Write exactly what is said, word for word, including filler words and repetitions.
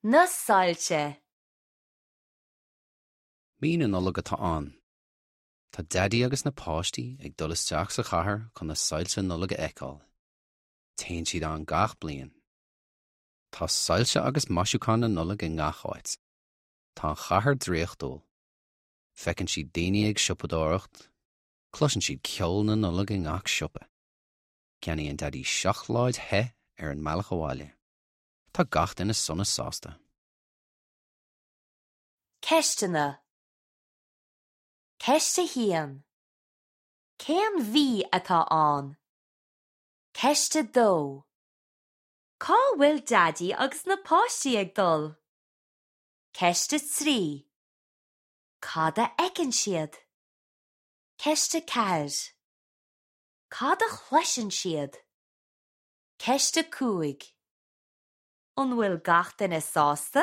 Na soilse. Mí na Nollag atá ann. Tá Daidí agus na páistí ag dul isteach sa chathair chun na soilse Nollag a fheiceáil. Téann siad ann gach bliain. Tá soilse agus maisiúcháin na Nollag i ngach áit. Tá an chathair draíochtúil. Feiceann siad daoine ag siopadóireacht, Cloiseann siad ceol na Nollag i ngach siopa. Ceannaíonn Daidí seacláid the ar an mbealach abhaile. Tá gach duine sona sásta. Ceisteanna. Ceist a haon. Cén mhí atá ann? Ceist a dó. Cá bhfuil Daidí agus na páistí ag dul? Ceist a trí. Cad a fheiceann siad? Ceist a ceathair. Cad a chloiseann siad? Ceist a cúig. An bhfuil gach duine sásta?